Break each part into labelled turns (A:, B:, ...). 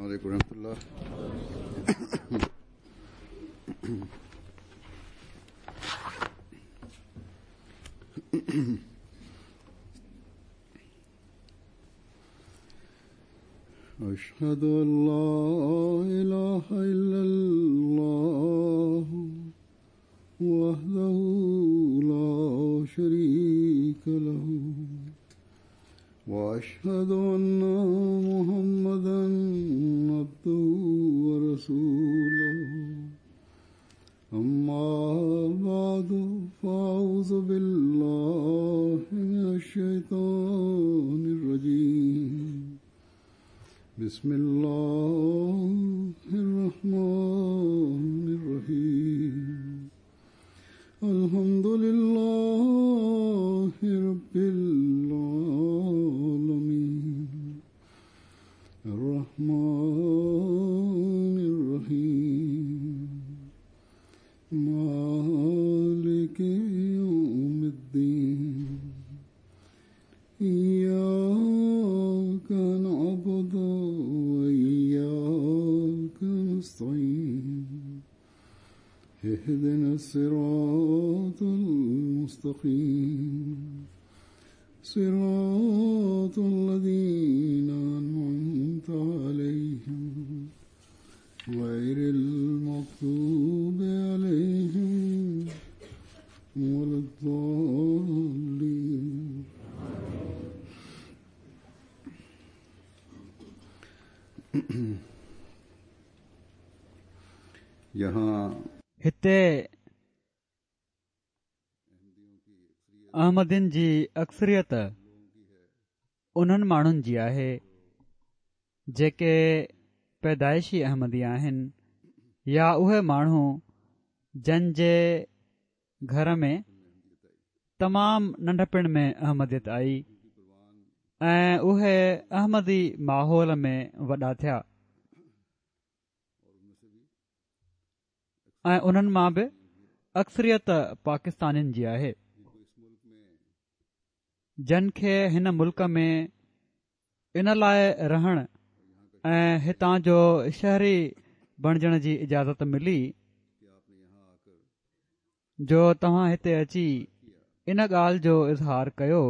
A: عليڪم ورحمة الله. اشهد ان لا اله الا الله وحده لا شريك له واشهد ان محمدا عبده ورسوله اما بعد فاعوذ بالله من الشيطان الرجيم بسم الله الرحمن الرحيم الحمد لله رب العالمين الرحمن الرحيم مالك يوم الدين إياك نعبد وإياك نستعين اهدنا الصراط المستقيم صراط الذين أنعمت عليهم غير المغضوب عليهم ولا الضالين.
B: هتي احمدين جي اڪثريت انهن ماڻهن جي آهي جيڪي پيدائشي احمدي آهن يا اهي ماڻهو جن جي گهر ۾ تمام ننڍپڻ ۾ احمديت آئي ۽ اهي احمدي ماحول ۾ وڏا ٿيا. ۽ انهن مان به اڪثريت پاڪستانين جي آهي جن کي هن ملڪ ۾ ان لاء رهڻ ۽ هتان جو شهري بڻجڻ جي اجازت ملي جو توهان هتي اچي ان ڳالهه جو اظهار ڪيو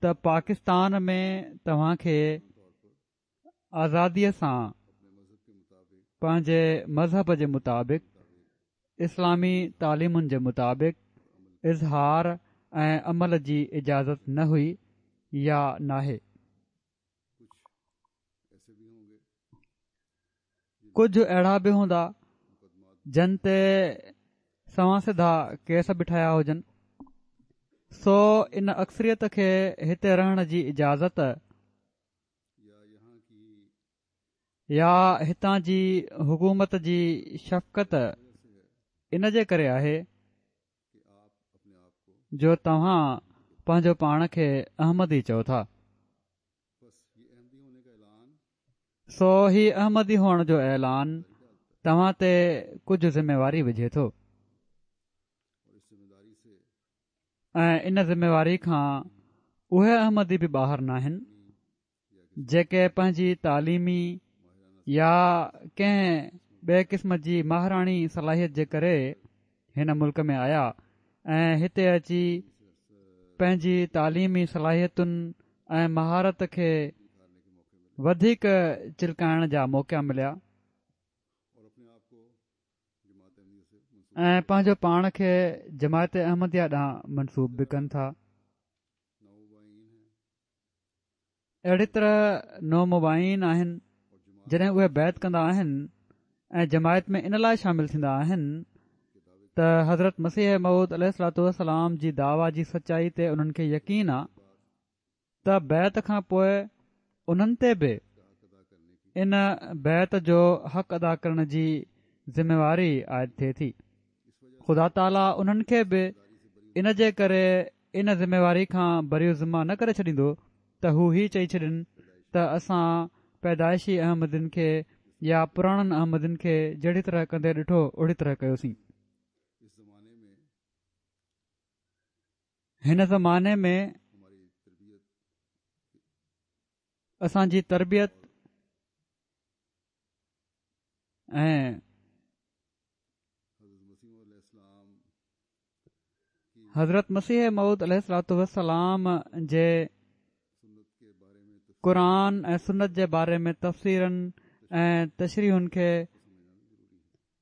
B: ته پاڪستان ۾ توهان کي آزاديء سان پنهنجي مذهب جي مطابق اسلامي تعليمن جي مطابق اظهار ۽ عمل جي اجازت نه هئي يا ناهي. ڪجهه اهڙا به هوندا جن تي سنوان سڌا ڪيس به ٺهيا هجن سو ان اڪثريت کي هتي رهڻ جي اجازت يا هتان جي حڪومت جي شفقت ان جي ڪري آهي جو توهان پنهنجو پاڻ کي احمدي چئو ٿا سو هي احمدي هئڻ جو اعلان توهان تي ڪجهه ذميواري وجهي ٿو ۽ ان ذميواري کان اهي احمدي به ٻاهر ناهن جيڪي پنهنجي تعليمي يا ڪنهن ٻئي قسم جي ماهراڻي صلاحيت جي ڪري هن ملڪ ۾ آيا ۽ هتي اچي پنهنجي تعليمي صلاحيتن ۽ مهارت کي وڌيڪ چلڪائڻ جا موقعا مليا. ۽ پنهنجو پاڻ کي جماعت احمديه ڏانهن منسوب به ڪن ٿا. اهڙي طرح نومبائعين آهن جڏهن اهي بيعت ڪندا آهن ۽ جماعت ۾ ان لاء شامل ٿيندا آهن ته حضرت مسيح موعود عليه الصلوة والسلام جي دعويٰ جي سچائي تي انهن کي يقين آ ته بيعت کان پوء انهن تي به ان بيعت جو حق ادا ڪرڻ جي ذميواري عائد ٿئي ٿي. خدا تعاليٰ انهن کي به ان جي ڪري ان ذميواري کان بري الذمه نه ڪري ڇڏيندو ته هو هي چئي ڇڏين ته اسان پيدائشي احمدين کي يا پراڻن احمدين کي جهڙي طرح ڪندي ڏٺو اهڙي طرح ڪيوسين. هن زماني ۾ اسان جي تربيت ۽ حضرت مسيح موعود عليه الصلوة والسلام جي قرآن ۽ سنت جي باري ۾ تفسيرن ۽ تشريحن کي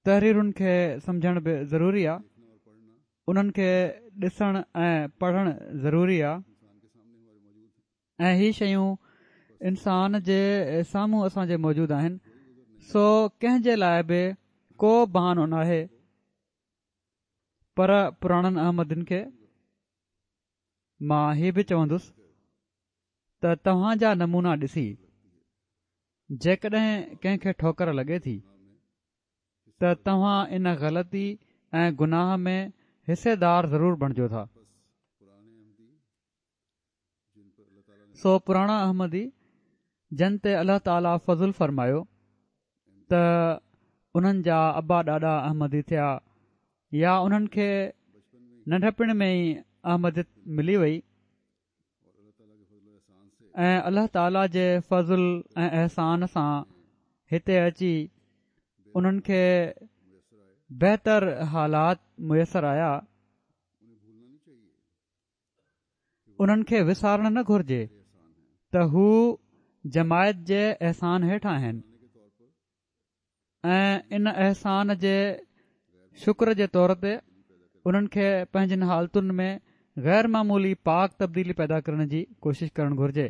B: تحريرن کي سمجهڻ به ضروري آ انهن کي ڏسڻ ۽ پڙهڻ ضروري آ ۽ هي شيون انسان جي سامهون اسان جي موجود آهن سو ڪنهن جي لاء به ڪو بهانو ناهي پر پراڻن احمدين کي مان هي به چوندس ته توهان جا نمونا ڏسي جيڪڏهن ڪنهن کي ٺوڪر لڳي ٿي ته توهان ان غلطي ۽ گناهه ۾ حصيدار ضرور بڻجو ٿا. سو پراڻا احمدي جن تي الله تعاليٰ فضل فرمايو ته انهن جا ابا ڏاڏا احمدي ٿيا يا انهن کي ننڍپڻ ۾ ئي احمديت ملي وئي ۽ الله تعاليٰ جي فضل ۽ احسان سان هتي اچي انهن کي بهتر حالات ميسر آيا انهن کي وسارڻ نه گهرجي ته هو جماعت جي احسان هيٺ آهن ۽ ان احسان جي شڪر جي طور تي انهن کي پنهنجين حالتن ۾ غير معمولي پاڪ تبديلي پيدا ڪرڻ جي ڪوشش ڪرڻ گهرجي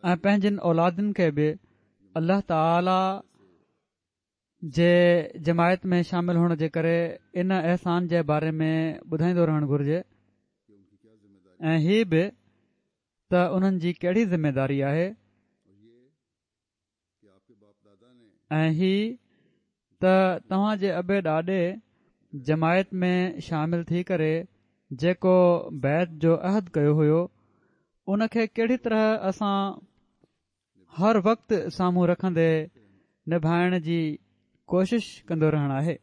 B: ۽ پنهنجين اولادن کي به الله تعالي جي جماعت ۾ شامل هئڻ جي ڪري ان احسان جي باري ۾ ٻڌائيندو رهڻ گهرجي ۽ هي به ته انهن جي ڪهڙي ذميداري آهي ۽ هي ته توهان جي ابي ڏاڏي جماعت ۾ شامل ٿي ڪري جيڪو بيعت جو عهد ڪيو هيو ان کي ڪهڙي طرح اسان هر وقت سامهون رکندي نڀائڻ جي ڪوشش ڪندو رهڻ آهي.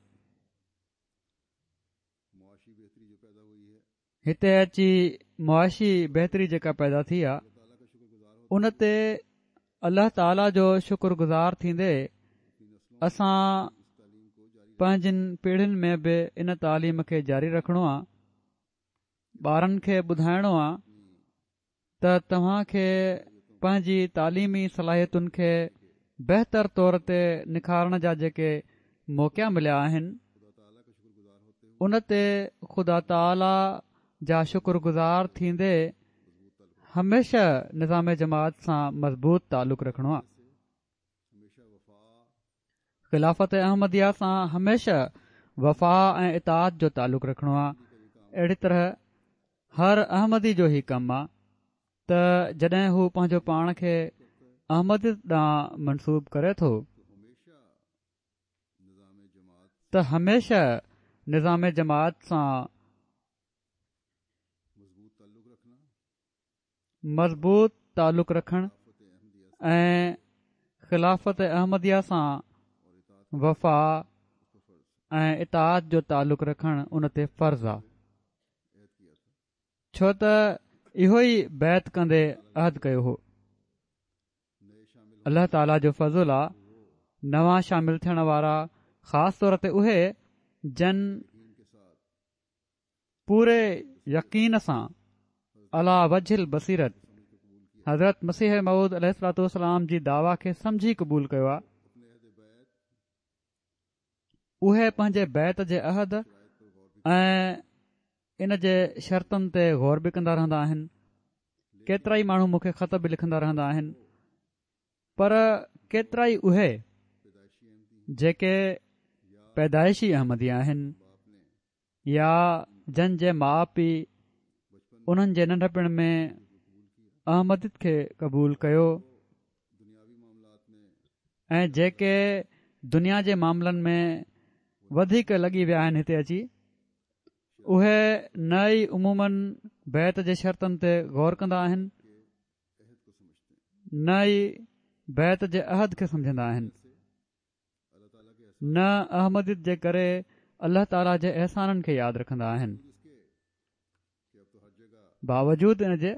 B: هتي اچي معاشي بهتري جيڪا پيدا ٿي آ ان تي الله تعاليٰ جو شڪر گذار ٿيندي اسان پنهنجين پيڙهين ۾ به ان تعليم کي جاري رکڻو آ ٻارن کي ٻڌائڻو آ ته توهان کي پنهنجي تعليمي صلاحيتن کي بهتر طور تي نکارڻ جا جيڪي موقعا مليا آهن ان تي خدا تعاليٰ جا شڪر گذار ٿيندي هميشه نظام جماعت سان مضبوط تعلق رکڻو آهي. خلافت احمديه سان هميشه وفا ۽ اطاعت جو تعلق رکڻو آهي اهڙي طرح هر احمدي جو هي ڪم آهي ته جڏهن هو پنهنجو پاڻ کي احمديت ڏانهن منسوب ڪري ٿو ته هميشه نظام جماعت سان مضبوط تعلق رکڻ ۽ خلافت احمديه سان وفا ۽ اطاعت جو تعلق رکڻ ان تي فرض آ ڇو ته اهو ئي بيعت ڪندي عهد ڪيو هو الله تعاليٰ جو فضل آ نوان شامل ٿيڻ وارا خاص طور تي اهي جن پوري يقين سان عليٰ وجه البصيرت حضرت مسيح موعود عليه الصلوة والسلام جي دعويٰ کي سمجهي قبول ڪيو آهي اهي پنهنجي بيعت جي عهد ۽ ان جي شرطن تي غور به ڪندا رهندا آهن ڪيترائي ماڻهو مون کي خط به لکندا رهندا آهن پر ڪيترائي اهي جيڪي پيدائشي احمدي آهن يا جن جي ماء پيء انهن جي ننڍپڻ ۾ احمديت کي قبول ڪيو ۽ جيڪي دنيا جي معاملن ۾ وڌيڪ لڳي ويا آهن هتي اچي اهي نه ئي عموماً بيعت جي شرطن تي غور ڪندا آهن نه ئي بيعت جي عهد کي سمجهندا آهن نه احمديت جي ڪري الله تعاليٰ جي احسانن کي ياد رکندا آهن باوجود ان جي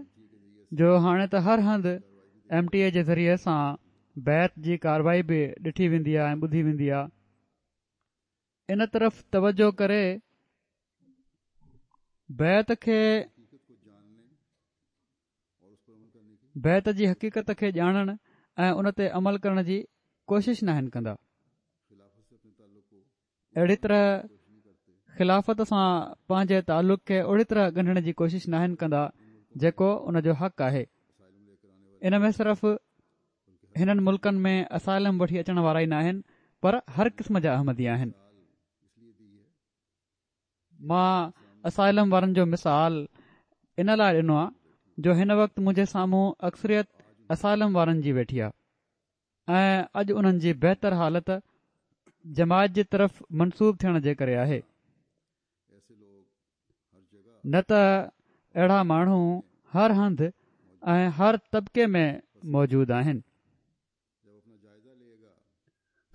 B: جو هاڻي ته هر هنڌ ايم ٽي اي جي ذريعي سان بيعت جي ڪارروائي به ڏٺي ويندي آهي ۽ ٻڌي ويندي آهي. ان طرف توجه ڪري بيعت کي بيعت جي حقيقت کي ڄاڻڻ ۽ ان تي عمل ڪرڻ جي ڪوشش ناهن ڪندا. اهڙي طرح خلافت سان پنهنجي تعلق کي اهڙي طرح ڳنڍڻ جي ڪوشش ناهن ڪندا جيڪو ان جو حق آهي. ان ۾ صرف هنن ملڪن ۾ اسائلم وٺي اچڻ وارا ئي ناهن پر هر قسم جا احمدي آهن. مان اسائلم وارن جو مثال ان لاء ڏنو آهي جو هن وقت منهنجي سامهون اڪثريت اسائلم وارن جي ويٺي آهي ۽ اڄ انهن جي بهتر حالت جماعت جي طرف منسوب ٿيڻ جي ڪري آهي نه ته اهڙا ماڻهو هر هنڌ ۽ هر طبقي ۾ موجود آهن.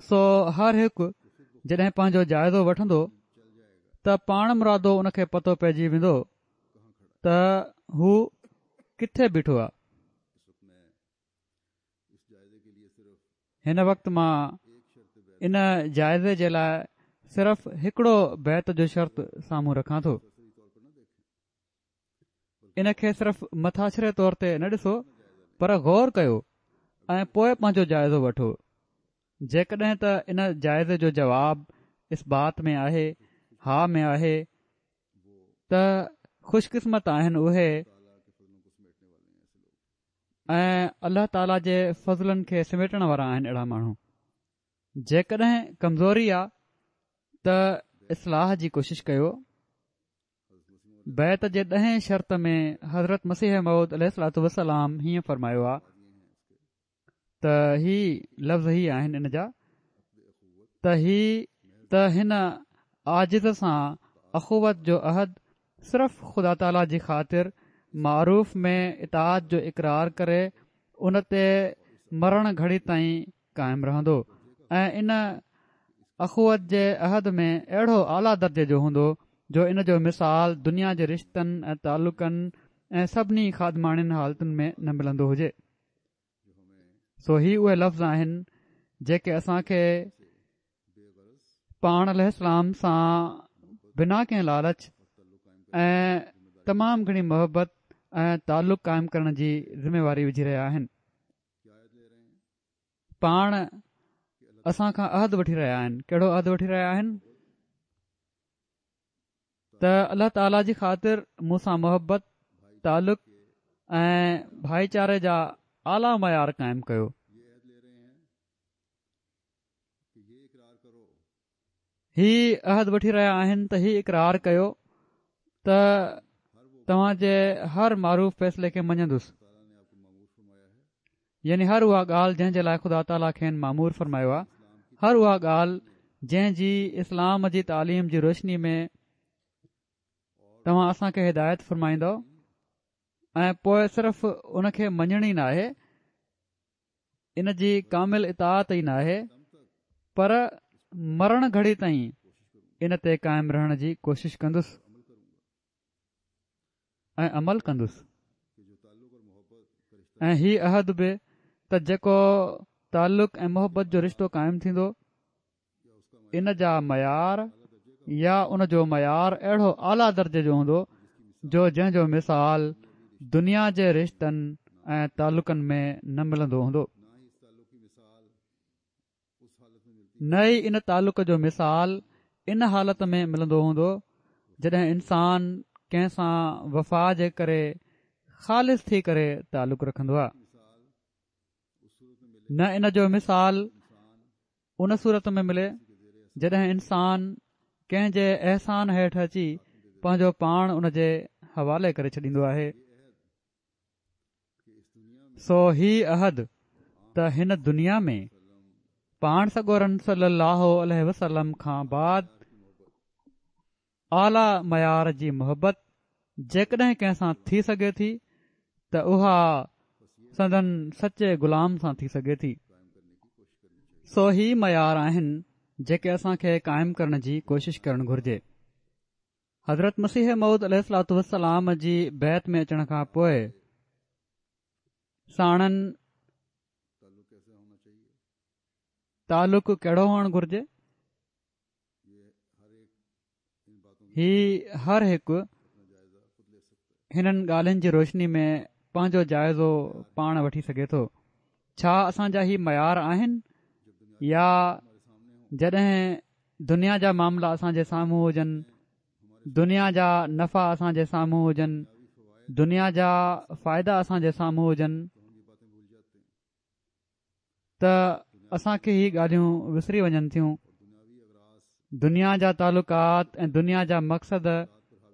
B: سو هر هڪ جڏهن پنهنجو جائزو وٺندو ته پاڻ مرادو ان کي پتو پئجي ويندو ته هو ڪٿي بيٺو آهي. هن وقت مان ان جائزي جي لاء صرف هڪڙو بيعت جو شرط سامهون رکان ٿو. ان کي صرف مٿاڇري طور تي نه ڏسو پر غور ڪيو ۽ پوء پنهنجو جائزو وٺو جيڪڏهن ته ان جائزي جو جواب اثبات ۾ آهي ها ۾ آهي ته خوش قسمت آهن اهي ۽ الله تعاليٰ جي فضلن کي سميٽڻ وارا آهن اهڙا ماڻهو جيڪڏهن ڪمزوري آ ته اصلاح جي ڪوشش ڪيو بيعت جي ڏهين شرط ۾ حضرت مسيح موعود عليه الصلوة والسلام هيئن فرمايو آ ته هي لفظ هي آهن ان جا ته هي ته هن عاجز سان اخوت جو عهد صرف خدا تعاليٰ جي خاطر معروف ۾ اطاعت جو اقرار ڪري ان تي مرڻ گهڙي تائين قائم رهندو ۽ ان اخوت جي عهد ۾ اهڙو اعليٰ درجي جو هوندو جو ان جو مثال دنيا جي رشتن ۽ تعلقن ۽ سڀني خادماڻين حالتن ۾ نه ملندو هجي. سو هي اهي لفظ آهن جيڪي اسان کي پاڻ عليه السلام سان بنا ڪنهن لالچ ۽ تمام گهڻي محبت ۽ تعلق قائم ڪرڻ جي ذميواري وجهي رهيا آهن. پاڻ اسان کان عهد وٺي رهيا آهن ڪهڙو عهد وٺي رهيا آهن ته الله تعاليٰ جي خاطر مون سان محبت تعلق ۽ ڀائيچاري جا اعليٰ معيار قائم ڪيو هي عهد وٺي رهيا آهن ته هي اقرار ڪيو ته توهان جي هر معروف فيصلي کي مڃندس يعني هر اها ڳالهه جنهن جي لاء خدا تعاليٰ کين مامور فرمايو آهي هر اها ڳالهه جنهن جي اسلام جي تعليم جي روشني ۾ توهان اسان کي هدايت فرمائيندؤ ۽ پوء صرف ان کي مڃڻ ئي ناهي ان جي ڪامل اطاعت ئي ناهي پر مرڻ گهڙي تائين ان تي قائم رهڻ جي ڪوشش ڪندس ۽ عمل ڪندس ۽ هي عهد به ته جيڪو تعلق ۽ محبت جو رشتو قائم ٿيندو ان جا معيار يا ان جو معيار اهڙو اعليٰ درجي جو هوندو جو جنهن جو مثال دنيا جي رشتن ۽ تعلقن ۾ نه ملندو هوندو. نه ئي ان تعلق جو مثال ان حالت ۾ ملندو هوندو جڏهن انسان ڪنهن سان وفا جي ڪري خالص ٿي ڪري تعلق رکندو آهي. نه ان جو مثال ان صورت ۾ ملي جڏهن انسان ڪنهن جي احسان هيٺ اچي پنهنجو پاڻ ان جي حوالي ڪري ڇڏيندو آهي سو هي عهد ته هن دنيا ۾ پاڻ سڳورن صلي الله عليه وسلم کان بعد اعليٰ معيار جي محبت جيڪڏهن ڪنهن سان ٿي سگهي ٿي ته اها سندن سچي غلام سان ٿي سگهي ٿي. سو هي معيار آهن جيڪي اسان کي قائم ڪرڻ جي ڪوشش ڪرڻ گهرجي. حضرت مسيح موعود عليه الصلوة والسلام جي بيعت ۾ اچڻ کان پوء ساڻن تعلق ڪهڙو هئڻ گهرجي؟ هي هر هڪ هنن ڳالهين جي روشني ۾ پنهنجو جائزو پاڻ وٺي سگهي ٿو. ڇا اسان جا هي معيار آهن يا جڏهن دنيا جا معاملا اسان جي سامهون هجن، دنيا جا نفع اسان جي سامهون هجن، دنيا جا فائدا اسان جي سامهون هجن ته اسان کي هي ڳالهيون وسري وڃن ٿيون. دنيا جا تعلقات ۽ دنيا جا مقصد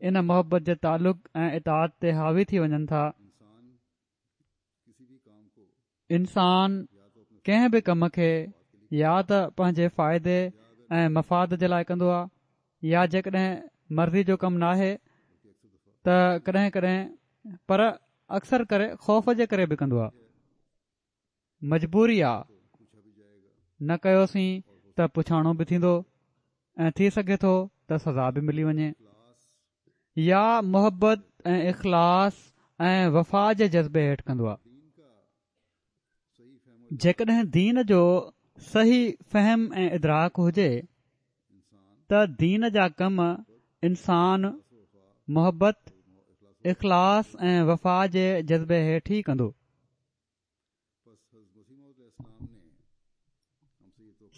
B: ان محبت جي تعلق ۽ اطاعت تي حاوي ٿي وڃن ٿا. انسان ڪنهن به ڪم کي يا ته پنهنجي فائدي ۽ مفاد جي لاء ڪندو آهي يا جيڪڏهن مرضي جو ڪم ناهي ته ڪڏهن ڪڏهن پر اڪثر ڪري خوف جي ڪري به ڪندو آهي. مجبوري آ نه ڪيوسين ته پڇاڻو به ٿيندو ۽ ٿي سگهي ٿو ته سزا به ملي وڃي يا محبت ۽ اخلاص ۽ وفا جي جذبي هيٺ ڪندو آ. جيڪڏهن دين جو صحيح فهم ۽ ادراڪ هجي ته دين جا ڪم انسان محبت، اخلاص ۽ وفا جي جذبي هيٺ ئي ڪندو.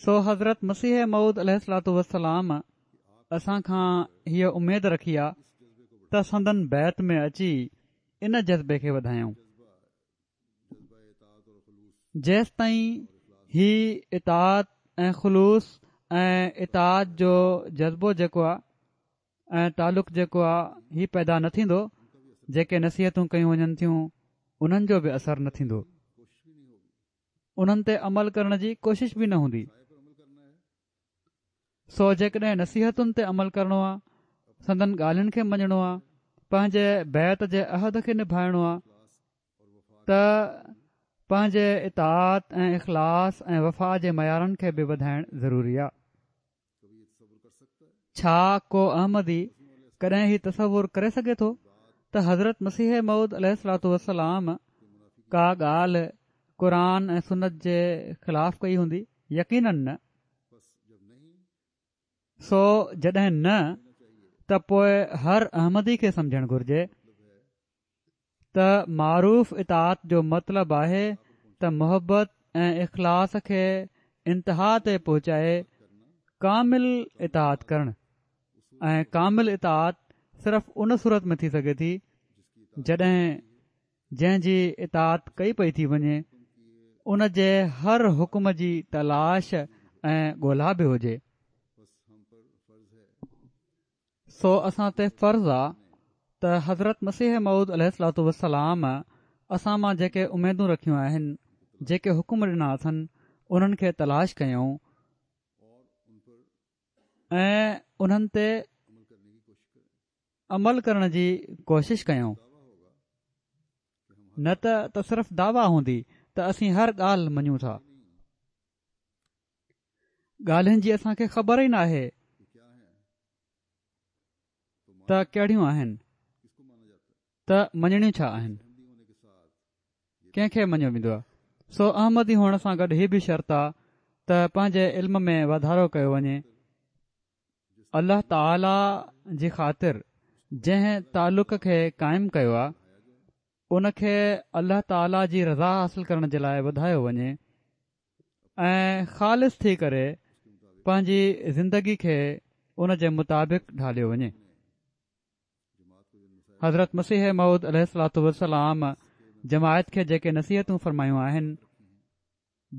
B: سو حضرت مسيح موعود عليه الصلوة والسلام اسان کان هيء اميد رکي آ ته سندن بيعت ۾ اچي ان جذبي کي وڌايون. جيستائين هي اطاعت ۽ خلوص ۽ اطاعت جو جذبو جيڪو آ ۽ تعلق جيڪو آ هي پيدا نه ٿيندو جيڪي نصيحتون ڪيون وڃن ٿيون انهن جو به اثر نه ٿيندو انهن تي عمل ڪرڻ جي ڪوشش به نه هوندي سو جيڪڏهن نصيحتن تي عمل ڪرڻو آ سندن ڳالهين کي مڃڻو آ پنهنجي بيعت جي عهد کي نڀائڻو آ ته پنهنجي اطاعت ۽ اخلاص ۽ وفا جي معيارن کي به وڌائڻ ضروري آ ڇا ڪو احمدي ڪڏهن هي تصور ڪري سگهي ٿو ته حضرت مسيح موعود عليه الصلوة والسلام ڪا ڳالهه قرآن ۽ سنت جي خلاف ڪئي هوندي؟ يقيناً نه. سو جڏهن نه ته پوء هر احمدي کي سمجهڻ گهرجي ته معروف اطاعت جو مطلب آهي ته محبت ۽ اخلاص کي انتها تي پهچائي ڪامل اطاعت ڪرڻ ۽ ڪامل اطاعت صرف ان صورت ۾ ٿي سگهي ٿي جڏهن جنهن جي اطاعت ڪئي پئي ٿي وڃي ان جي هر حڪم جي تلاش ۽ ڳولا به هجي. سو اسان تي فرض آ ته حضرت مسيح موعود عليه الصلوة والسلام اسان مان جيڪي اميدون رکيون آهن، جيڪي حڪم ڏنا اٿن، انهن کي تلاش ڪيون ۽ انهن تي عمل ڪرڻ جي ڪوشش ڪيون، نه ته صرف دعويٰ هوندي ته اسين هر ڳالهه مڃون ٿا. ڳالهين جي اسان کي خبر ئي ناهي ته ڪهڙيون آهن ته مڃڻيون ڇا آهن ڪنهن کي مڃيو ويندو آهي سو احمدي هئڻ سان گڏ هي به شرط آ ته پنهنجي علم ۾ واڌارو ڪيو وڃي الله تعاليٰ جي خاطر جنهن تعلق کي قائم ڪيو آ ان کي الله تعاليٰ جي رضا حاصل ڪرڻ جي لاء وڌايو وڃي ۽ خالص ٿي ڪري پنهنجي زندگي کي ان جي مطابق ڍاليو وڃي. حضرت مسيح موعود عليه الصلوة والسلام جماعت کي جيڪي نصيحتون فرمايون آهن،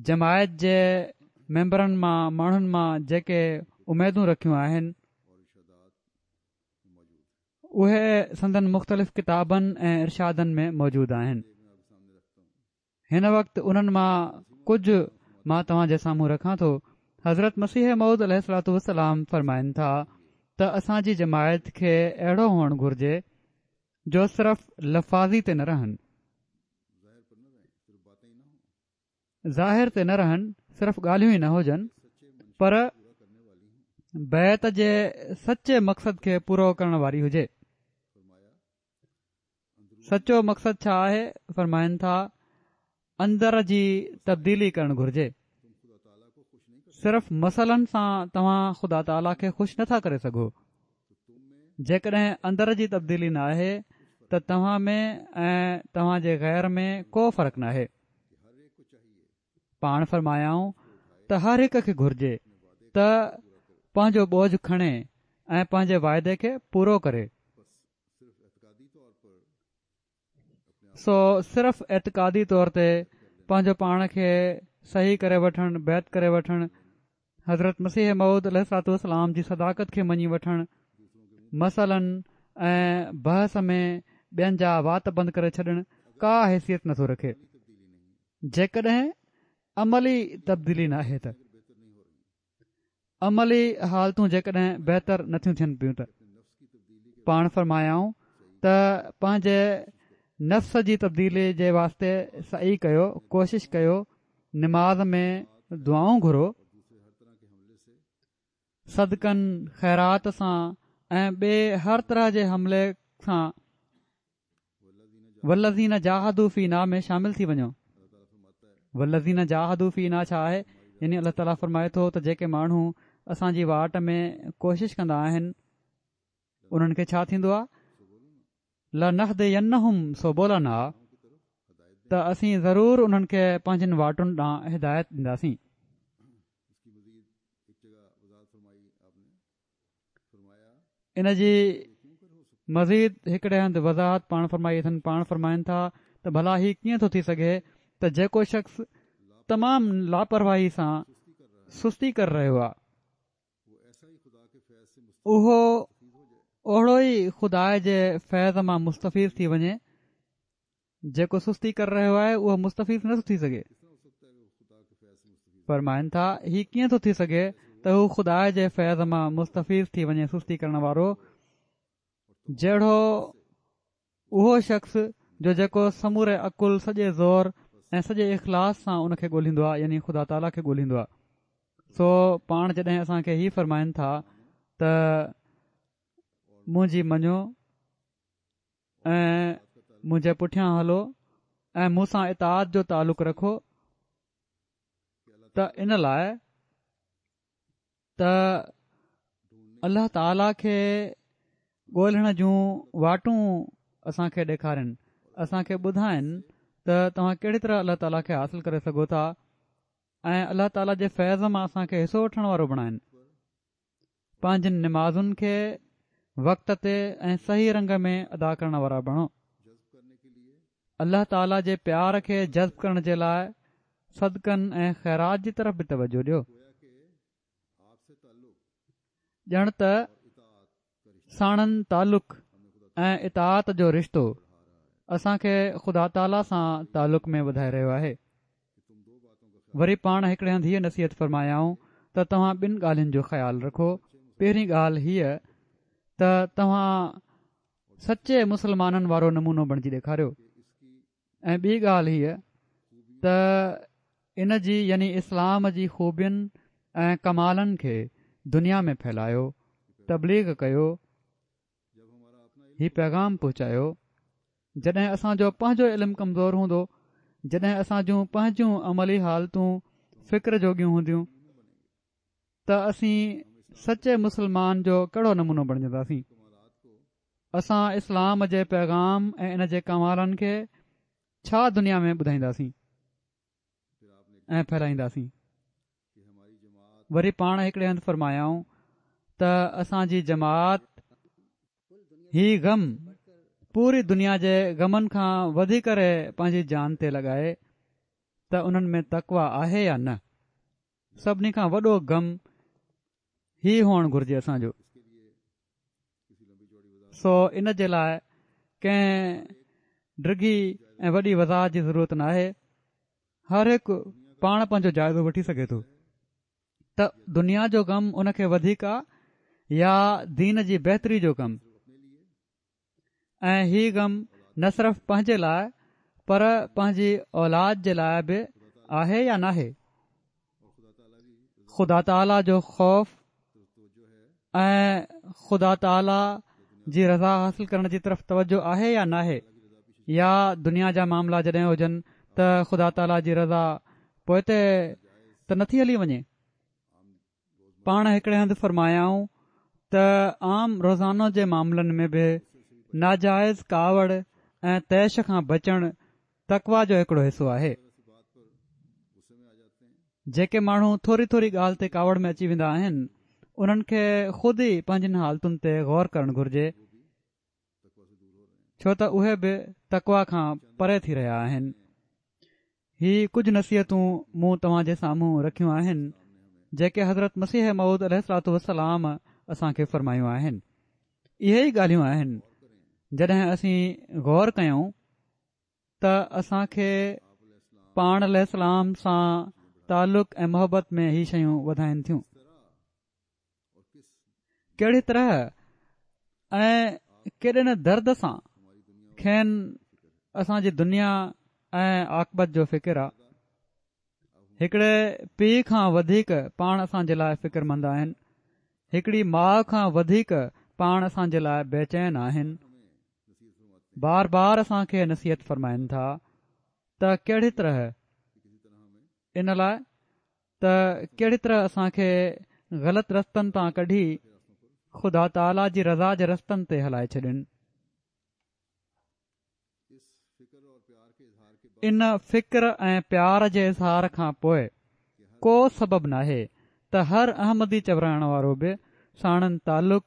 B: جماعت جي ميمبرن مان ماڻهن مان جيڪي اميدون رکيون آهن، اهي سندن مختلف ڪتابن ۽ ارشادن ۾ موجود آهن. هن وقت انهن مان ڪجهه مان توهان جي سامهون رکان ٿو. حضرت مسيح موعود عليه الصلوة والسلام فرمائن ٿا ته اسان جي جماعت کي اهڙو هئڻ گهرجي جو صرف لفاظي تي نه رهن. ظاهر تي نه رهن، صرف ڳالهيون ئي نه هجن پر بيعت جي سچي مقصد کي پورو ڪرڻ واري هجي. سچو مقصد ڇا آهي؟ فرمائن ٿا، اندر جي تبديلي ڪرڻ گهرجي. صرف مسئلن سان توهان خدا تعاليٰ کي خوش نٿا ڪري سگهو. جيڪڏهن اندر جي تبديلي ناهي ته توهان ۾ ۽ توهان جي غير ۾ ڪو فرق ناهي. پاڻ فرمايائون ته هر هڪ کي گهرجي ته پنهنجو بوجه کڻي ۽ پنهنجي واعدي کي پورو ڪري. سو صرف اعتقادي طور تي پنهنجو پاڻ کي صحيح ڪري وٺڻ، بيعت ڪري وٺڻ، حضرت مسيح موعود عليه الصلوة والسلام جي صداقت کي مڃي وٺڻ، مسئلن ۽ بحث ۾ ٻين جا وات بند ڪري ڇڏڻ ڪا حيثيت نٿو رکي جيڪڏهن عملي تبديلي ناهي ته. عملي حالتون جيڪڏهن بهتر نٿيون ٿين پيون ته پاڻ فرمايائون ته پنهنجي نفس جي تبديلي جي واسطي سعي ڪيو ڪوشش ڪيو نماز ۾ دعائون گهرو صدقن خيرات سان ۽ ٻئي هر طرح جي حملي سان والذين جاهدوا فينا ۾ شامل ٿي وڃو. والذين جاهدوا فينا ڇا آهي؟ يعني الله تعاليٰ فرمائي ٿو ته جيڪي ماڻهو اسان جي واٽ ۾ ڪوشش ڪندا آهن انهن کي ڇا ٿيندو آهي؟ لنهدينهم سبلنا ته اسين ضرور انهن کي پنهنجين واٽن ڏانهن هدايت ڏينداسين. ان جي مزيد هڪڙي هنڌ وضاحت پاڻ فرمائي اٿن پاڻ فرمائن ٿا ته ڀلا هي ڪيئن ٿو ٿي سگهي ته جيڪو شخص تمام لاپرواهي سان سستي ڪري رهيو آهي اهو اوهڙو ئي خدا جي فيض مان مستفيض ٿي وڃي جيڪو سستي ڪري رهيو آهي اهو مستفيض نٿو ٿي سگهي. فرمائن ٿا، هي ڪيئن ٿو ٿي سگهي ته هو خدا جي فيض مان مستفيض ٿي وڃي سستي ڪرڻ وارو جهڙو اهو شخص جو جيڪو سموري عقل سڄي زور ۽ سڄي اخلاص سان ان کي ڳولهيندو آهي يعني خدا تعاليٰ کي ڳولهيندو آهي سو پاڻ جڏهن اسان کي هي فرمائن ٿا ته منهنجي مڃو ۽ منهنجي پٺيان هلو ۽ مون سان اطاعت جو تعلق رکو ته ان لاء ته الله تعاليٰ کي ڳولڻ جون واٽون اسان کي ڏيکارين اسان کي ٻڌائن ته توهان ڪهڙي طرح الله تعاليٰ کي حاصل ڪري سگهو ٿا ۽ الله تعاليٰ جي فيض مان اسان کي حصو وٺڻ وارو بڻائن پنهنجين نمازن کي وقت تي ۽ صحيح رنگ ۾ ادا ڪرڻ وارا بڻو. الله تعالي جي پيار کي جذب ڪرڻ جي لاء صدقن ۽ خيرات جي طرف به توجه ڏيو. ڄڻ ته ساڻن تعلق ۽ اطاعت جو رشتو اسان کي خدا تعالي سان تعلق ۾ وڌائي رهيو آهي. وري پاڻ هڪڙي هنڌ هيء نصيحت فرمايائون ته توهان ٻن ڳالهين جو خيال رکو، پهرين ڳالهه هيء ته توهان سچي مسلمانن وارو نمونو بڻجي ڏيکاريو ۽ ٻي ڳالهه هيء ته ان جي يعني اسلام جي خوبين ۽ ڪمالن کي دنيا ۾ ڦهلايو، تبليغ ڪيو، هي پيغام پهچايو. جڏهن اسان جو پنهنجو علم ڪمزور هوندو، جڏهن اسان جون پنهنجون عملي حالتون فڪر جوڳيون هونديون ته اسين سچي مسلمان جو ڪهڙو نمونو بڻجنداسين؟ اسان اسلام جي پيغام ۽ ان جي ڪمالن کي ڇا دنيا ۾ ٻڌائينداسين ۽ ڦهلائينداسين؟ وري پاڻ هڪڙي هنڌ فرمايائون ته اسان جي جماعت هي غم پوري دنيا جي غمن کان وڌي ڪري پنهنجي جان تي لڳائي ته انهن ۾ تقويٰ آهي يا نه سڀني کان وڏو غم هي هئڻ گهرجي اسان جو سو ان جي لاء ڪنهن ڊگهي ۽ وڏي وضاحت جي ضرورت ناهي هر هڪ پاڻ پنهنجو جائزو وٺي سگهي ٿو ته دنيا جو غم ان کي وڌيڪ آ يا دين جي بهتري جو غم ۽ هي غم نه صرف پنهنجي لاء پر پنهنجي اولاد جي لاء به آهي يا ناهي خدا تعاليٰ جو خوف ۽ خدا تعاليٰ جي رضا حاصل ڪرڻ جي طرف توجه آهي يا ناهي يا دنيا جا معاملا جڏهن هجن ته خدا تعاليٰ جي رضا پوئتي ته نٿي هلي وڃي. پاڻ هڪڙي هنڌ فرمايائون ته عام روزانو جي معاملن ۾ به ناجائز ڪاوڙ ۽ طيش کان بچڻ تقويٰ جو هڪڙو حصو آهي. جيڪي ماڻهو ٿوري ٿوري ڳالهه تي ڪاوڙ ۾ اچي ويندا آهن انهن کي خود ئي پنهنجين حالتن تي غور ڪرڻ گهرجي ڇو ته اهي به تقويٰ کان پري ٿي رهيا آهن. هي ڪجهه نصيحتون مون توهان جي سامهون رکيون آهن جيڪي حضرت مسيح موعود عليه الصلوة والسلام اسان کي فرمايون آهن. اهي ئي ڳالهيون آهن جڏهن اسين غور ڪيون ته اسان کي پاڻ عليه السلام سان تعلق ۽ محبت ۾ هي شيون وڌائين ٿيون. ڪهڙي طرح ۽ ڪيڏي نه درد سان کين اسان جي دنيا ۽ عاقبت جو فڪر آ. هڪڙي پيء کان وڌيڪ پاڻ اسان جي لاء فڪرمند آهن. هڪڙي ماء کان وڌيڪ پاڻ اسان جي لاء بيچين آهن. بار بار اسان کي نصيحت فرمائن ٿا ته ڪهڙي طرح ان لاء ته ڪهڙي طرح اسان کي غلط رستن تان ڪڍي خدا تعاليٰ جي رضا جي رستن تي هلائي ڇڏين. ان فڪر ۽ پيار جي اظهار کان پوء ڪو سبب ناهي ته هر احمدي چورائڻ وارو به ساڻن تعلق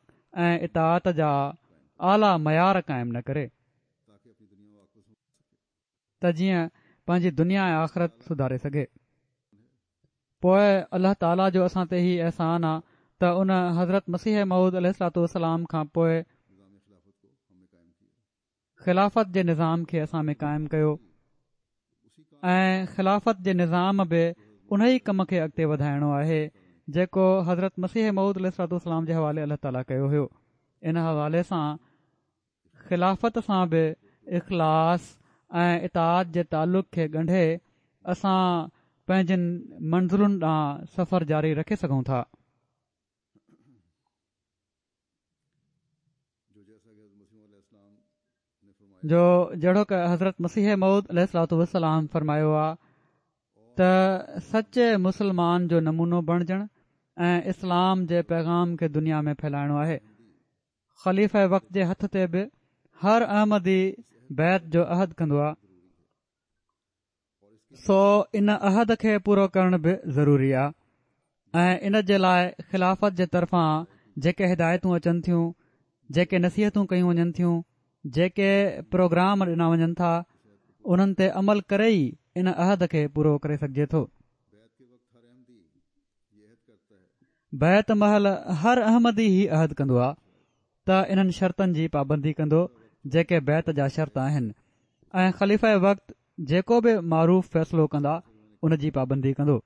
B: ۽ اطاعت جا اعليٰ معيار قائم نه ڪري. ته جيئن پنهنجي دنيا ۽ آخرت سڌاري سگهي. پوء الله تعاليٰ جو اسان تي هي احسان آ ته ان حضرت مسيح موعود عليه الصلوة والسلام کان پوء خلافت جي نظام کي اسان ۾ قائم ڪيو ۽ خلافت جي نظام به انهي ڪم کي اڳتي وڌائڻو آهي جيڪو حضرت مسيح موعود عليه الصلوة والسلام جي حوالي الله تعاليٰ ڪيو هيو. ان حوالي سان خلافت سان به اخلاص ۽ اطاعت جي تعلق کي ڳنڍي اسان پنهنجين منزلن ڏانهن سفر جاري رکي سگهون ٿا. جو جهڙوڪ حضرت مسيح موعود عليه الصلوة والسلام فرمايو آ ته سچي مسلمان جو نمونو بڻجڻ ۽ اسلام جي پيغام کي دنيا ۾ ڦهلائڻو آهي. خليفه وقت جي هٿ تي به هر احمدي بيعت جو عهد ڪندو آ سو ان عهد کي پورو ڪرڻ به ضروري آ ۽ ان جي لاء خلافت جي طرفان جيڪي هدايتون اچن ٿيون جيڪي نصيحتون ڪيون وڃن ٿيون جيڪي پروگرام ڏنا وڃن ٿا انهن تي عمل ڪري ئي ان عهد کي پورو ڪري سگهجي ٿو. بيعت مهل هر احمدي هي عهد ڪندو آ ته انهن شرطن جي پابندي ڪندو جيڪي بيعت جا شرط آهن ۽ خليفه وقت جيڪو به معروف فيصلو ڪندا ان جي پابندي ڪندو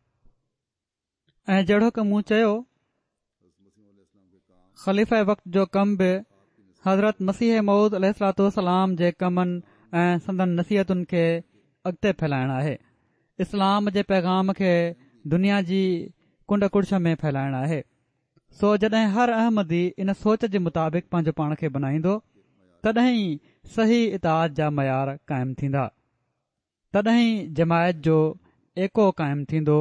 B: ۽ جهڙوڪ مون چيو خليفه وقت جو ڪم به حضرت مسيح موعود عليه الصلوة والسلام جي ڪمن ۽ سندن نصيحتن کي اڳتي ڦهلائڻ آهي اسلام جي پيغام کي دنيا جي ڪنڊ ڪڙڇ ۾ ڦهلائڻ آهي سو جڏهن هر احمدي ان سوچ جي مطابق پنهنجو پاڻ کي بنائيندو تڏهن ئي صحيح اطاعت جا معيار قائم ٿيندا تڏهن ئي جماعت جو ايڪو قائم ٿيندو،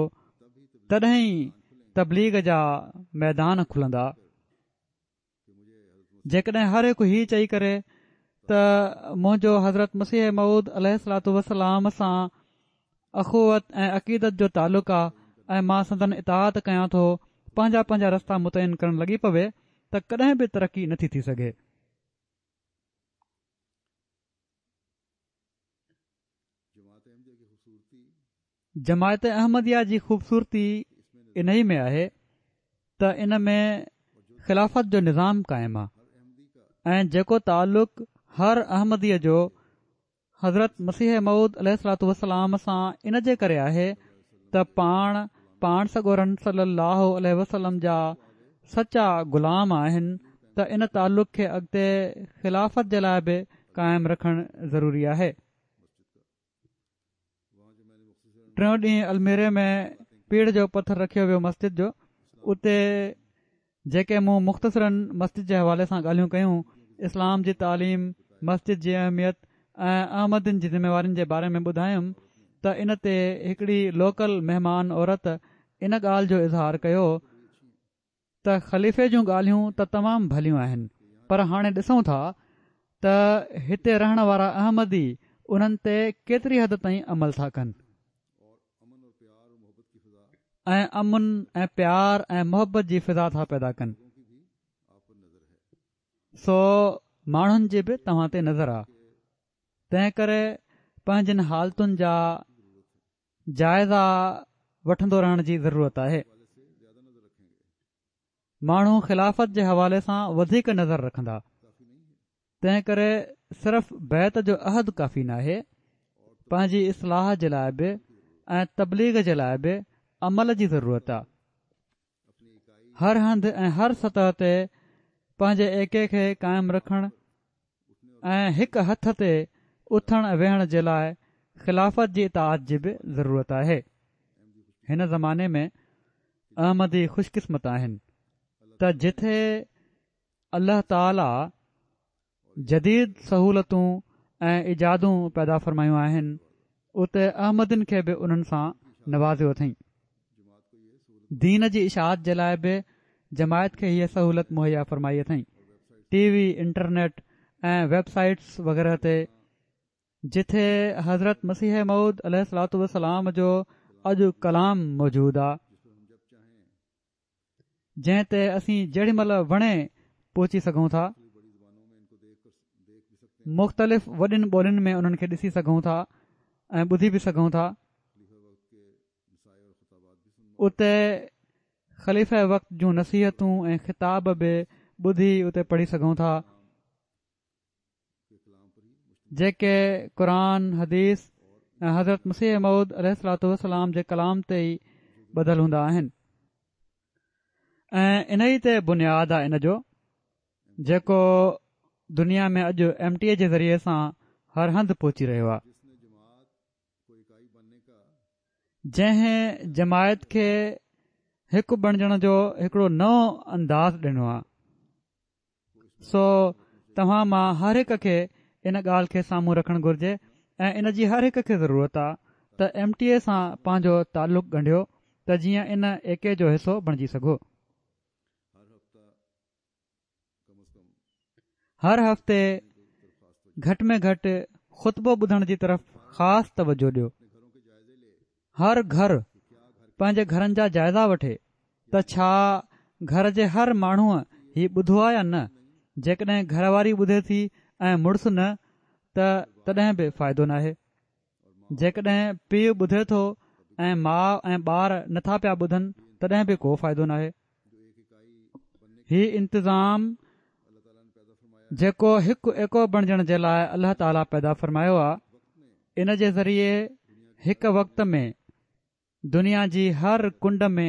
B: تڏهن ئي تبليغ جا ميدان کلندا. جيڪڏهن هر هڪ هي چئي ڪري ته منهنجو حضرت مسيح موعود عليه الصلوة والسلام سان اخوت ۽ عقيدت جو تعلق آ ۽ مان سندن اطاعت ڪيان ٿو پنهنجا پنهنجا رستا متعين ڪرڻ لڳي پوي ته ڪڏهن به ترقي نٿي ٿي سگهي. جماعت احمديه جي خوبصورتي انهي ۾ آهي ته ان ۾ خلافت جو نظام قائم آهي ۽ جيڪو تعلق هر احمديء جو حضرت مسيح موعود عليه الصلوة والسلام سان ان جي ڪري آهي ته پاڻ پاڻ سڳورن صلي الله عليه وسلم جا سچا غلام آهن ته ان تعلق کي اڳتي خلافت جي لاء به قائم رکڻ ضروري آهي. ٽيون ڏينهن الميري ۾ پيڙهه جو پٿر رکيو ويو مسجد جو اتي جيڪي مون مختصراً مسجد جي حوالي سان ڳالهيون ڪيون اسلام جي تعليم مسجد جي اهميت ۽ احمدين جي ذميوارين جي باري ۾ ٻڌايم ته ان تي هڪڙي لوڪل مهمان عورت ان ڳالهه جو اظهار ڪيو. ته خليفي جون ڳالهيون ته تمام ڀليون آهن پر هاڻي ڏسون ٿا ته هتي رهڻ وارا احمدي انهن تي ڪيتري حد تائين عمل ٿا ڪن. ۽ امن ۽ پيار ۽ محبت جي فضا ٿا پيدا ڪن. سو ماڻهن جي به توهان تي نظر آ تنهن ڪري پنهنجين حالتن جا جائزا وٺندو رهڻ جي ضرورت آهي. ماڻهو خلافت جي حوالي سان وڌيڪ نظر رکندا تنهن ڪري صرف بيعت جو عهد ڪافي ناهي پنهنجي اصلاح جي لاء به ۽ تبليغ جي لاء به عمل جي ضرورت آ. هر هنڌ ۽ هر سطح تي پنهنجي ايڪي کي قائم رکڻ ۽ هڪ هٿ تي اٿڻ ۽ ويهڻ جي لاء خلافت جي اطاعت جي به ضرورت آهي. هن زماني ۾ احمدي خوش قسمت آهن ته جتي الله تعاليٰ جديد سهولتون ۽ ايجادون پيدا فرمايون آهن اتي احمدين کي به انهن سان نوازيو اٿئين. دين جي اشاعت جي لاء به جماعت کي هيء سهولت مهيا فرمائي اٿئين. ٽي وي، انٽرنيٽ ۽ ويب سائيٽس وغيره تي جتي حضرت مسيح موعود عليه الصلوة والسلام جو اڄ ڪلام موجود آ. جنهن تي اسين جيڏي مهل وڻي پهچي سگهون ٿا. مختلف وڏين ٻولين ۾ انهن کي ڏسي سگهون ٿا ۽ ٻڌي به سگهون ٿا. اتي خليفه وقت جون نصيحتون ۽ خطاب به ٻڌي اتي پڙهي سگهون ٿا. جيڪي قرآن، حديث ۽ حضرت مسيح موعود عليه الصلوة والسلام جي ڪلام تي ئي ٻڌل هوندا آهن ۽ انهي تي بنياد آهي ان جو جيڪو دنيا ۾ اڄ ايم ٽي اي جي ذريعي سان هر هنڌ پهچي رهيو آهي. جنهن جماعت کي هڪ بڻجڻ جو هڪڙو نئون انداز ڏنو آهي. سو توهان مان هر هڪ کي ان ڳالهه کي سامهون رکڻ گهرجي ۽ ان جي هر هڪ کي ضرورت آ ته ايم ٽي اي سان پنهنجو تعلق ڳنڍيو ته جيئن ان ايڪي جو حصو بڻجي سگهو. هر هفتي گهٽ ۾ گهٽ خطبو ٻڌڻ جي طرف خاص توجه ڏيو. هر گهر پنهنجي گهرن جا جائزا وٺي ته ڇا گهر جي هر ماڻهوء هي ٻڌو آهي يا نه؟ جيڪڏهن گهر واري ٻڌي ٿي ۽ مڙس نه ته تڏهن به فائدو ناهي. جيڪڏهن پيء ٻڌي ٿو ۽ ماء ۽ ٻار نٿا پيا ٻڌن تڏهن به ڪو فائدو ناهي. هي انتظام جيڪو هڪ ايڪو بڻجڻ جي لاء الله تعاليٰ پيدا فرمايو آهي ان جي ذريعي هڪ وقت ۾ دنيا جي هر ڪنڊ ۾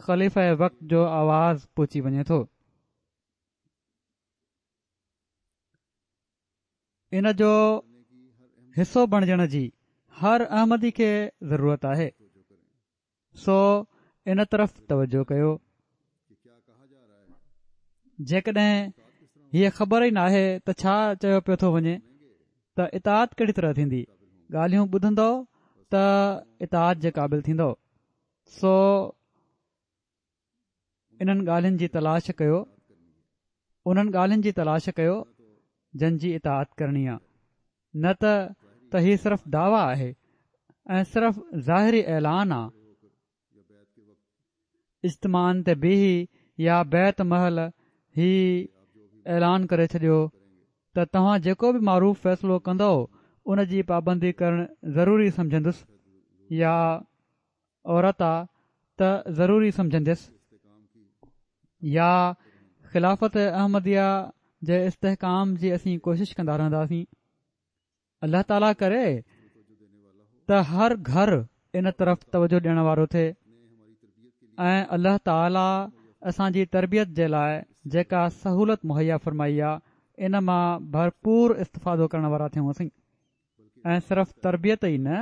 B: خليفه وقت جو آواز پهچي وڃي ٿو. ان جو حصو بڻجڻ جي هر احمدي کي ضرورت آهي. سو ان طرف توجه ڪيو. جيڪڏهن هيء خبر ئي ناهي ته ڇا چيو پيو ٿو وڃي ته اطاعت ڪهڙي طرح ٿيندي؟ ڳالهيون ٻڌندؤ ته اطاعت جي قابل ٿيندؤ. سو انهن ڳالهين جي تلاش ڪيو انهن ڳالهين جي تلاش ڪيو جن جي اطاعت ڪرڻي آ نه ته ته هي صرف دعويٰ آهي ۽ صرف ظاهري اعلان آ اجتماعن تي بيهي يا بيعت مهل هي اعلان ڪري ڇڏيو ته توهان جيڪو به معروف فيصلو ڪندؤ ان جي پابندي ڪرڻ ضروري سمجهندس يا عورت آ ته ضروري سمجهنديس يا خلافت احمديه جي استحڪام جي اسين ڪوشش ڪندا رهنداسين الله تعاليٰ ڪري ته هر گهر ان طرف توجه ڏيڻ وارو ٿئي ۽ الله تعاليٰ اسان جي تربيت جي لاء جيڪا سهولت مهيا فرمائي آ ان مان ڀرپور استفادو ڪرڻ وارا ٿيون اسين ۽ صرف تربيت ئي نه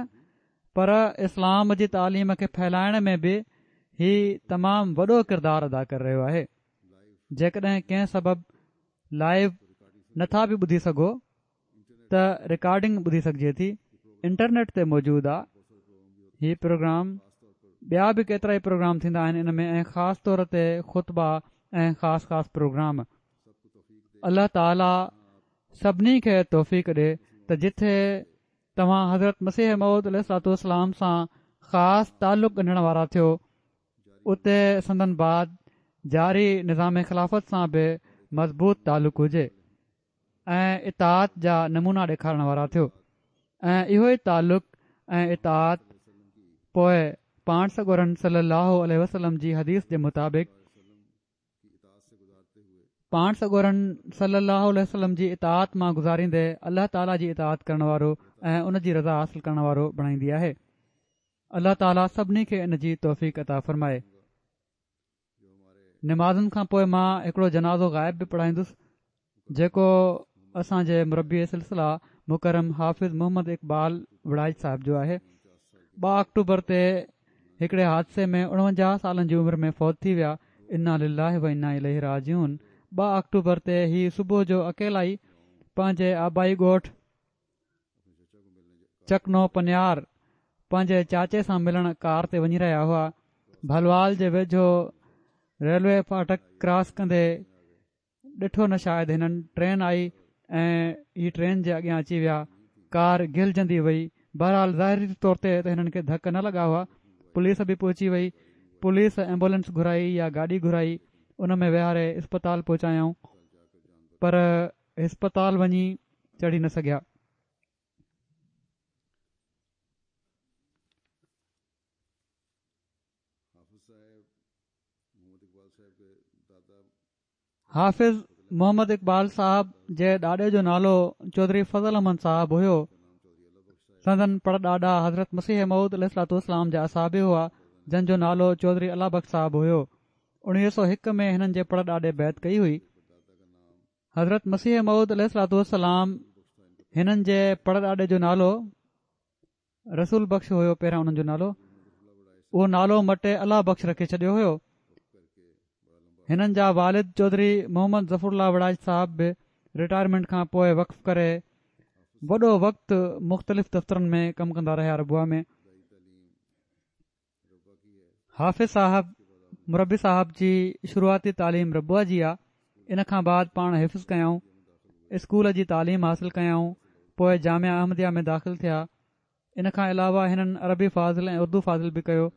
B: پر اسلام جي تعليم کي ڦهلائڻ ۾ به هي تمام وڏو ڪردار ادا ڪري رهيو آهي جيڪڏهن ڪنهن سبب لائيو نٿا به ٻڌي سگهو ته رڪارڊنگ ٻڌي سگهجي ٿي انٽرنيٽ تي موجود آ هي پروگرام ٻيا به ڪيترائي پروگرام ٿيندا آهن ان ۾ ۽ خاص طور تي خطبا ۽ خاص خاص پروگرام. الله تعالي سڀني کي توفيق ڏي ته جٿي توهان حضرت مسيح موعود عليه الصلوة والسلام سان خاص تعلق ڳنڍڻ وارا ٿيو اتي سندن بعد جاري نظام خلافت سان به مضبوط تعلق هجي ۽ اطاعت جا نمونا ڏيکارڻ وارا ٿيو ۽ اهو ئي تعلق ۽ اطاعت پوء پاڻ سڳورن صلي الله عليه وسلم جي حديث جي مطابق پاڻ سڳورن صلّي اللّٰه عليه وسلّم جي اطاعت مان گذاريندي الله تعاليٰ جي اطاعت ڪرڻ وارو ۽ ان جي رضا حاصل ڪرڻ وارو بڻائيندي آهي. الله تعاليٰ سڀني کي ان جي توفيق عطا فرمائي. نمازن کان پوء مان هڪڙو جنازو غائب به پڙهائيندس جيڪو اسان جي مربي سلسله مڪرم حافظ محمد اقبال وڙائچ صاحب جو آهي. ٻه آڪٽوبر تي هڪڙي حادثي ۾ 49 سالن جي عمر ۾ فوت ٿي ويا. انا لله و انا اليه راجعون ٻه آڪٽوبر تي هي صبح جو اڪيلائي پنهنجي آبائي ڳوٺ چڪنو پنيار پنهنجي چاچي سان ملڻ ڪار تي وڃي رهيا هئا. ڀلوال جي ويجهو ريلوي ڦاٽڪ ڪراس ڪندي ڏٺو نه شايد هنن ٽرين آئي ۽ هي ٽرين جي اڳيان اچي ويا ڪار گهلجندي وئي بهرحال ظاهري طور تي ته هنن کي ڌڪ نه لڳا هئا پوليس به پهچي وئي پوليس ايمبولينس گهرائي يا گاڏي گهرائي ان ۾ ويهاري اسپتال پهچايائون پر اسپتال وڃي چڙهي نه سگهيا. حافظ محمد اقبال صاحب جي ڏاڏي جو نالو چوڌري فضل احمد صاحب هيو. سندن پڙ ڏاڏا حضرت مسيح موعود عليه الصلوة والسلام جا اصحابي هئا جن جو نالو چوڌري الله بخش صاحب هيو. 1901 ۾ هنن جي پڙ ڏاڏي بيعت ڪئي هئي. حضرت مسيح موعود عليه الصلوة والسلام هنن جي پڙ ڏاڏي جو نالو رسول بخش هيو پهريان انهن جو نالو اهو نالو مٽي الله بخش رکي ڇڏيو هيو هنن جا والد چوڌري محمد ظفر الله وڙائچ صاحب به رٽائرمينٽ کان پوء وقف ڪري وڏو وقت مختلف دفترن ۾ ڪم ڪندا رهيا ربوه ۾ حافظ صاحب مربي صاحب جي شروعاتي تعليم ربوه جي آ ان کان بعد پاڻ حفظ ڪيائون اسڪول جي تعليم حاصل ڪيائون پوء جامعه احمديه ۾ داخل ٿيا ان کان علاوه هنن عربي فاضل ۽ اردو فاضل به ڪيو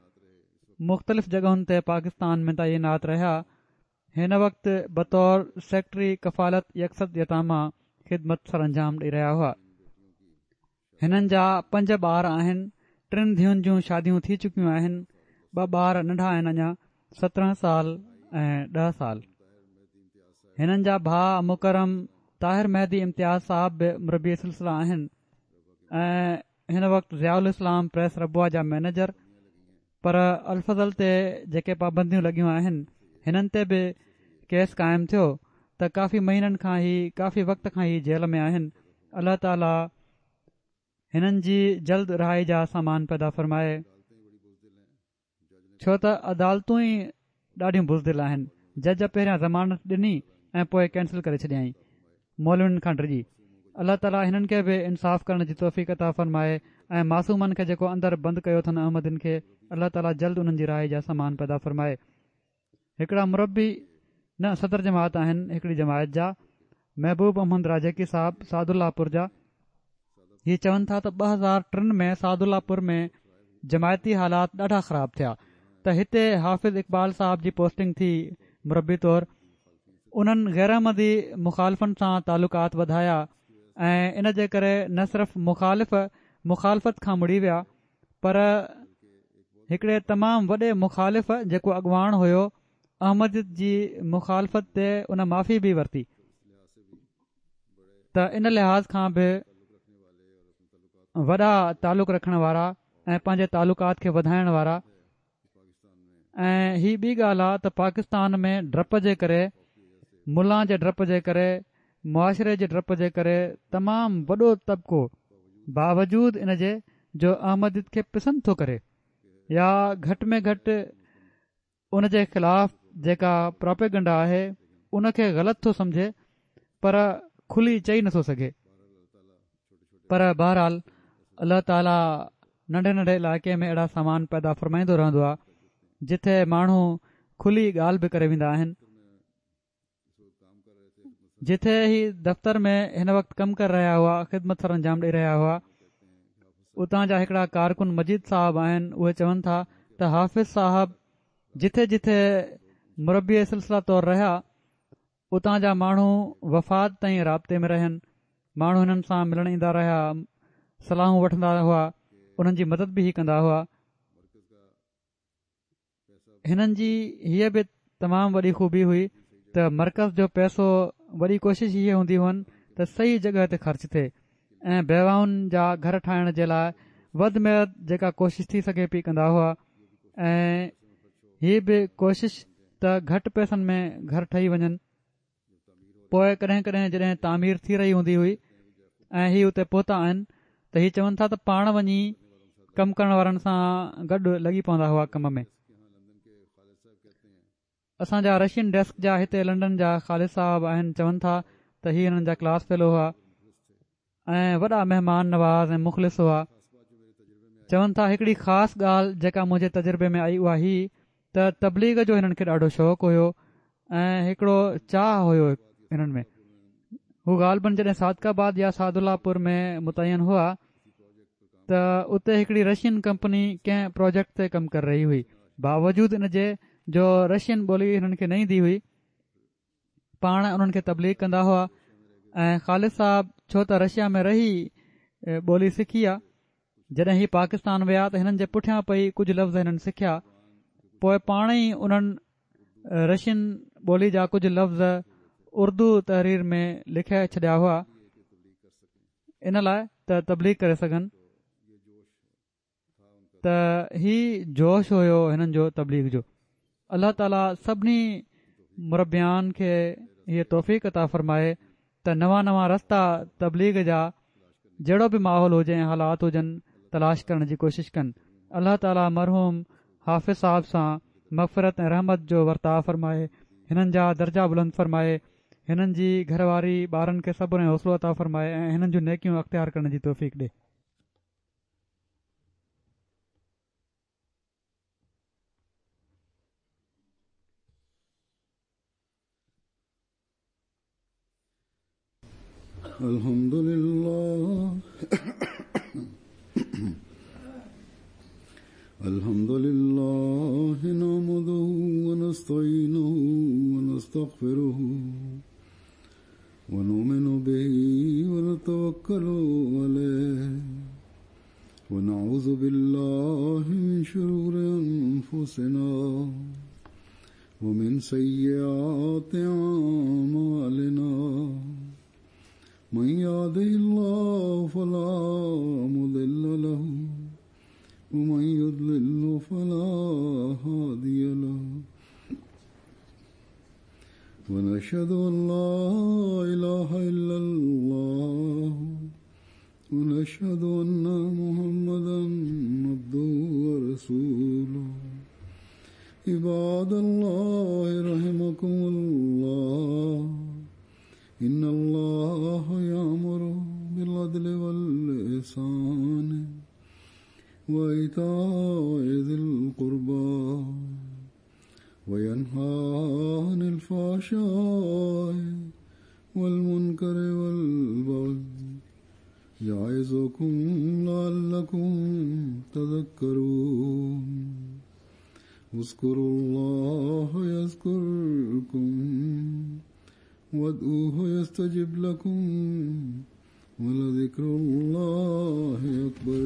B: مختلف جڳهن تي پاڪستان ۾ تعينات رهيا هن وقت بطور سيڪريٽري ڪفالت يڪصد يتاميٰ خدمت سرانجام ڏئي رهيا هئا هنن جا پنج ٻار آهن، ٽن ڌيئن جون شاديون ٿي چڪيون آهن، ٻه ٻار ننڍا آهن اڃا 17 سال ۽ 10 سال. هنن جا ڀاء مڪرم طاهر مهدي امتياز صاحب به مربي سلسله آهن ۽ هن وقت ضياء الاسلام پريس ربوه جا مئنيجر پر الفضل تي جيڪي پابنديون لڳيون آهن هنن تي به ڪيس قائم ٿيو ته ڪافي مهينن کان هي ڪافي وقت کان هي جيل ۾ آهن الله تعالي هنن جي جلد رهائي جا سامان پيدا فرمائي ڇو ته عدالتون ئي ڏاڍيون بزدل آهن جج پهريان ضمانت ڏني ۽ پوء ڪينسل ڪري ڇڏيائين مولوين کان ڊڄي الله تعالي هنن کي به انصاف ڪرڻ جي توفيق عطا فرمائي ۽ معصومن کي جيڪو اندر بند ڪيو اٿن احمدين کي الله تعالي جلد انهن جي رهائي جا سامان پيدا فرمائي هڪڙا مربي نه صدر جماعت آهن هڪڙي جماعت جا محبوب احمد راجيڪي صاحب سعد الله پور جا هي چون ٿا ته 2003 ۾ سعد الله پور ۾ جماعتي حالات ڏاڍا خراب ٿيا ته هتي حافظ اقبال صاحب جي پوسٽنگ ٿي مربي طور انهن غير احمدي مخالفن سان تعلقات وڌايا ۽ ان جي ڪري نه صرف مخالف مخالفت کان مڙي ويا پر هڪڙي تمام وڏي مخالف جيڪو اڳواڻ هيو احمديت جي مخالفت تي ان معافي به ورتي ته ان لحاظ کان به وڏا تعلق رکڻ وارا ۽ پنهنجي تعلقات کي وڌائڻ وارا ۽ هي ٻي ڳالهه آ ته پاڪستان ۾ ڊپ جي ڪري ملان جي ڊپ جي ڪري معاشري جي ڊپ جي ڪري تمام وڏو طبقو باوجود ان جي جو احمديت کي پسند ٿو ڪري يا گهٽ ۾ گهٽ ان جي خلاف جيڪا پراپيگنڊا آهي ان کي غلط ٿو سمجهي پر کلي چئي نٿو سگهي پر بهرحال الله تعالي ننڍي ننڍي علائقي ۾ اهڙا سامان پيدا فرمائيندو رهندو آهي جتي ماڻهو کلي ڳالهه به ڪري ويندا آهن. جتي هي دفتر ۾ هن وقت ڪم ڪري رهيا هئا خدمت سر انجام ڏئي رهيا هئا اتان جا هڪڙا ڪارڪن مجيد صاحب آهن اهي چون ٿا ته حافظ صاحب جٿي جٿي مربي سلسله طور رهيا اتان جا ماڻهو وفات تائين رابطي ۾ رهين ماڻهو هنن سان ملڻ ايندا رهيا صلاحون وٺندا هئا انهن جي مدد به هي ڪندا هئا هنن جي هيء به تمام وڏي خوبي هئي ته مرڪز جو پئسو وڏي ڪوشش هيء هوندي هئن ته صحيح جڳهه تي خرچ ٿئي ۽ بيواهن جا گهر ٺاهڻ جي لاء وڌ ۾ وڌ جيڪا ڪوشش ٿي سگهي پئي ڪندا هئا ۽ هي به ڪوشش ته گهٽ پئسن ۾ گهر ٺهي وڃن. پوء ڪڏهن ڪڏهن جڏهن تعمير ٿي رهي هوندي هئي ۽ هي اتي پهتا آهن ته هي چون ٿا ته پاڻ وڃي ڪم ڪرڻ وارن سان گڏ لڳي پوندا هئا ڪم ۾. اسان جا رشين ڊيسڪ جا هتي لنڊن جا خالد صاحب آهن چون ٿا ته هي هنن جا ڪلاس فيلو هئا ۽ وڏا مهمان نواز ۽ مخلص هئا. چون ٿا هڪڙي خاص ڳالهه جيڪا منهنجي تجربي ۾ آئي اها هي ته تبليغ جو هنن کي ڏاڍو شوق هيو ۽ هڪڙو چاهه هيو هنن ۾ هو غالباً جڏهن صادق آباد يا سعد الله پور ۾ متعين هئا ته اتي هڪڙي رشين ڪمپني ڪنهن پروجيڪٽ تي ڪم ڪري رهي هئي باوجود ان جي جو رشين ٻولي هنن کي نه ايندي هئي پاڻ انهن کي تبليغ ڪندا هئا ۽ خالد صاحب ڇو ته رشيا ۾ رهي ٻولي سکي آ جڏهن هي پاڪستان ويا ته هنن جي پٺيان پئي ڪجهه لفظ هنن سکيا پوء پاڻ ئي انهن رشين ٻولي جا ڪجهه لفظ اردو تحرير ۾ لکي ڇڏيا هئا ان لاء ته تبليغ ڪري سگهن ته هي جوش هيو هنن جو تبليغ جو. الله تعالي سڀني مربيان کي هيء توفيق عطا فرمائي ته نوان نوان رستا تبليغ جا جهڙو به ماحول هجي ۽ حالات هجن تلاش ڪرڻ جي ڪوشش ڪن. الله تعالي مرحوم حافظ صاحب سان مغفرت ۽ رحمت جو ورتاء فرمائي هنن جا درجا بلند فرمائي هنن جي گهر واري ٻارن کي صبر ۽ حوصلو عطا فرمائي ۽ هنن جون نيڪيون اختيار ڪرڻ جي توفيق ڏي.
A: الحمد لله الحمد لله نحمده ونستعينه ونستغفره ونؤمن به ونتوكل عليه ونعوذ بالله من شرور أنفسنا ومن سيئات أعمالنا من يهده الله فلا مضل له ومن يضلل فلا هادي له ونشهد أن لا إله إلا الله ونشهد أن محمدا عبده ورسوله عباد الله رحمكم الله إن الله يأمر بالعدل والإحسان وإيتاء ذي القربى وينهى عن الفحشاء والمنكر والبغي يعظكم لعلكم تذكرون اذكروا الله يذكركم وادعوه يستجب لكم ولذكر الله أكبر.